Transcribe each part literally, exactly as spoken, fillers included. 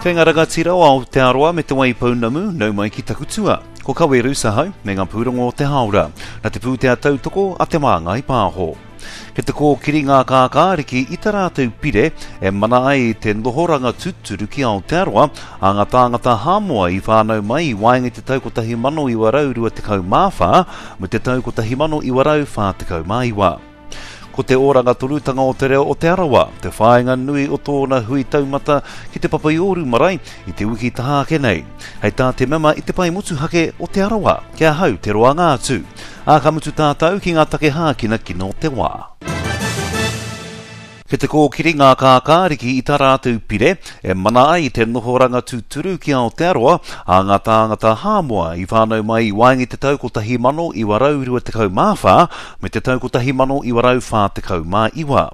Kei ngā rangatira o Aotearoa me Te Waipounamu, nau mai ki taku tua. Ko Kaweru Sahau me ngā pūrongo o te Haora, na te pūtea tautoko a Te Māngai Pāho. Kei te kōkiri ngā kākāriki i tā rātou pire e mana ai te nohoranga tūturu ki Aotearoa a ngā tāngata Hāmoa i whānau mai i waenga i te tau kotahi mano iwa rau rua tekau mā whā me te tau kotahi mano iwa rau whā tekau mā iwa. Ko te oranga tonutanga o te reo o Te Arawa, te whāinga nui o tōna hui taumata ki te Papaiouru marae i te wiki taha ake nei. Hei tā te mema i te pae motuhake o Te Arawa, ki ahau te roanga atu. Ā, ka mutu tātou ki ngā take hākinakina o te wā. Kei te kōkiri ngā kākāriki i tā rātou pire e mana ai te nohoranga tūturu ki Aotearoa a ngā tāngata Hāmoa i whānau mai i waenga i te tau kotahi mano iwa rau rua tekau mā whā me te tau kotahi mano iwa rau whā tekau mā iwa.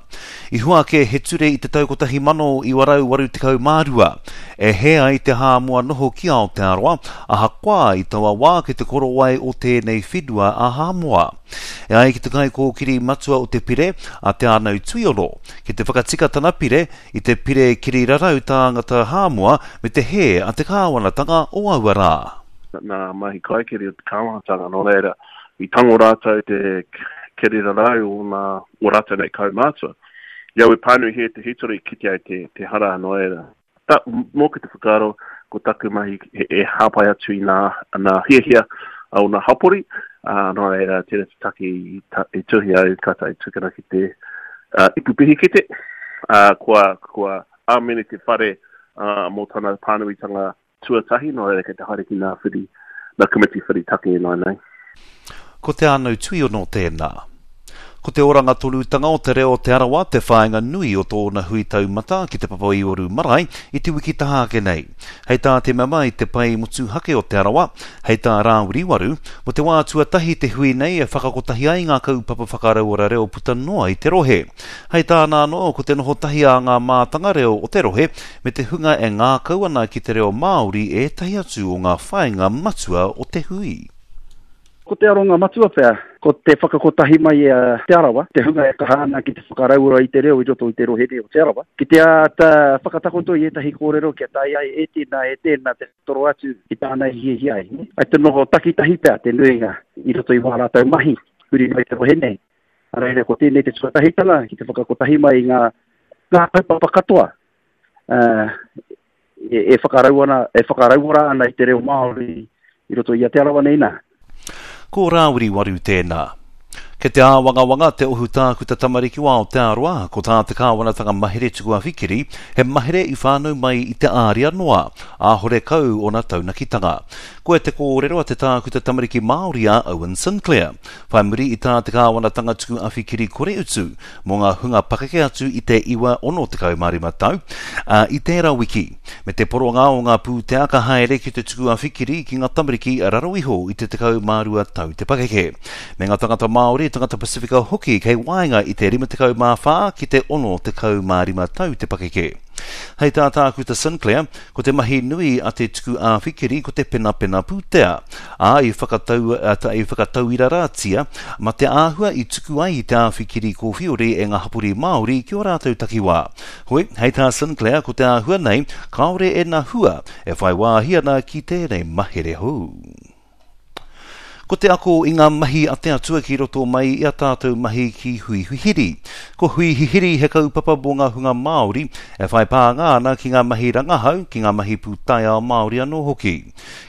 I hua ake he ture i te tau kotahi mano iwa rau waru tekau mā rua e hē ai te Hāmoa noho ki Aotearoa ahakoa i taua wā ki te korowai o tēnei whenua a Hāmoa. E ai ki te kaikōkiri matua o te pire, a Te Ānau Tuiono, ki te whakatika tana pire i te pire kirirarau tāngata Hāmoa me te hē a te kāwanatanga o aua rā. Nā mahi kaikiri o te kāwanatanga, nō reira, i tango rātou te kirirarau o nā, o rātou nei kaumātua. I au e pānuihia te hitori, kite ai te, te hara, nō reira. Ta, mōku te whakaaro, ko taku mahi e, e hāpai atu i nā, nā hiahia o nā hapori, ā, nō reira, tērā te take i, ta, i tuhi au, ka tae tukuna ki te, uh, ipu pihikete, uh, kua, kua āmene te whare, uh, mō tana pānuitanga tuatahi, nō reira kei te haere ki nā whiri, nā komiti whiri take e nai nei. Ko Te Ānau Tuiono tēnā. Ko te oranga tonutanga o te reo o Te Arawa te whāinga nui o tōna hui taumata ki te Papaiouru marae i te wiki taha ake nei. Hei tā te mema i te pae motuhake o Te Arawa, hei tā Rāwiri Waru, mō te wā tuatahi te hui nei e whakakotahi ai ngā kaupapa whakarauora reo puta noa i te rohe. Hei tāna anō, ko te noho tahi a ngā mātanga reo o te rohe me te hunga e ngākau ana ki te reo Māori ētahi atu o ngā whāinga matua o te hui. Ko te aronga matua pea, ko te whakakotahi mai a Te Arawa, te hunga e kaha ana ki te whakarauora i te reo i roto i te rohe nei o Te Arawa, ki te āta whakatakoto i ētahi kōrero kia tae ai e tēnā, e tēnā te toro atu ki tāna i hiahia ai. Ai te noho takitahi pea te nuinga i roto i wā rātou mahi, huri mai te rohe nei. A reira, ko tēnei te tuatahitanga ki te whakakotahi mai i ngā, ngā kaupapa katoa, uh, e, e whakarau ana, e whakarauora ana i te reo Māori i roto i a Te Arawa nei nā. Ko Rāwiri Waru tēnā. Kei te āwangawanga te ohu tākuta tamariki o Aotearoa, ko tā te kāwanatanga mahere tuku awhikiri, he mahere i whānau mai i te āria noa, āhore kau ona taunakitanga. Koe te kōrero a te tākuta tamariki Māori a Owen Sinclair. Whai muri i tā te kāwanatanga tuku awhikiri kore utu mō ngā hunga pakeke atu i te iwa ono tekau mā rima tau, ā, i tērā wiki, me te poronga o ngā pūtea ka haere ki te tuku awhikiri ki ngā tamariki raro iho i te tekau mā rua tau te pakeke. Me ngā tangata Māori, tangata Pasifika hoki kei waenga i te rima tekau mā whā ki te ono tekau mā rima tau te pakeke. Hei tā Tākuta Sinclair, ko te mahi nui a te tuku āwhikiri ko te penapena pūtea, ā, i whakatau, i whakatauirarātia ma te āhua i tuku ai i te āwhikiri kōwhiori e ngā hapori Māori ki o rātou takiwā. Hoi, hei tā Sinclair, ko te āhua nei, kāore e nā hua e whai wāhi ana ki tēnei mahere hou. Ko te ako i ngā mahi a te Atua ki roto mai i a tātou mahi ki Huihihiri. Ko Huihihiri he kaupapa mō ngā hunga Māori e whai pānga ana ki ngā mahi rangahau, ki ngā mahi pūtaiao Māori anō hoki.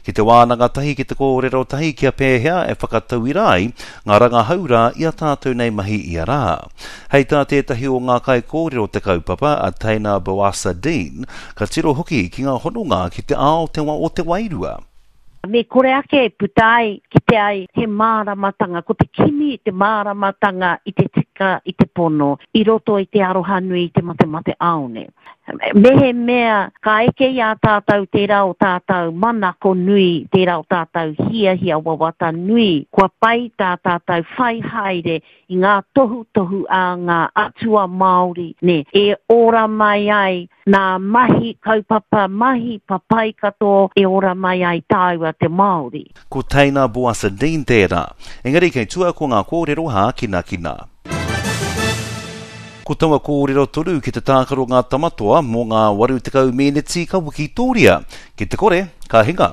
Ki te wānanga tahi, ki te kōrero tahi kia pēhea e whakatauira ai ngā rangahau rā i a tātou nei mahi ia rā. Hei tā tētahi o ngā kaikōrero te kaupapa a Teina Boasa Dean, ka tiro hoki ki ngā hononga ki te ao te wa o te wairua. Me kore ake e puta ai ki te ai he māramatanga, ko te kimi te māramatanga i te tika i te pono, i roto i te aroha nui i te matemate aone. Me he mea, ka eke i a tātou tērā o tātou manako nui, tērā o tātou hiahia wawata nui, kua pai tā tātou whai haere i ngā tohutohu a ngā atua Māori, ne, e ora mai ai nā mahi kaupapa, mahi papai katoa e ora mai ai tāua te Māori. Ko Teina Boasa Dean tērā. Engari kei tua ko ngā kōrero hākinakina. Ko taua kōrero tonu ki te tākaro ngā tamatoa mō ngā waru tekau meneti ka wikitoria. Ki te kore, ka hinga.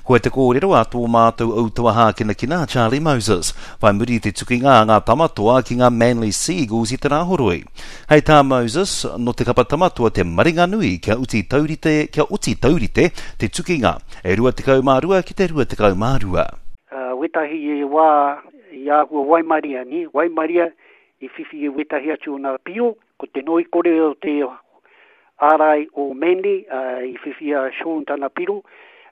Koe te kōrero a tō mātou autawa hākinakina Charlie Moses, whai muri te tukinga a ngā tamatoa ki ngā Manly Seagulls i te Rāhoroi. Hei tā Moses, no te kapa tamatoa te maringa nui kia uti taurite, kia oti taurite te tukinga, e rua tekau mā rua ki te rua tekau mā rua. Uh, wetahi e wā i āhua waimaria, ni? Waimaria i whiwhi e wetahi atu o nā pio, ko te noi kore o te ārai o Manly, uh, i whiwhi a Sean tana piro,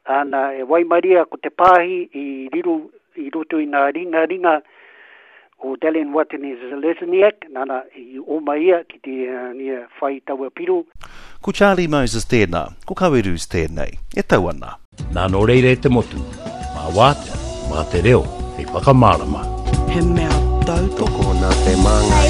ana e waimaria ko te pāhi i riro i roto i nā ringa ringa o Dallin Watene-Zelezniak, nana i oma ia ki te uh, nia whai taua piro. Ko Charlie Moses tēnā, ko Kawerus tēnei, e tau ana. Nā nō reira e te motu, mā wātea, mā te reo, hei whakamārama. He mea tautoko Tokona te māngai.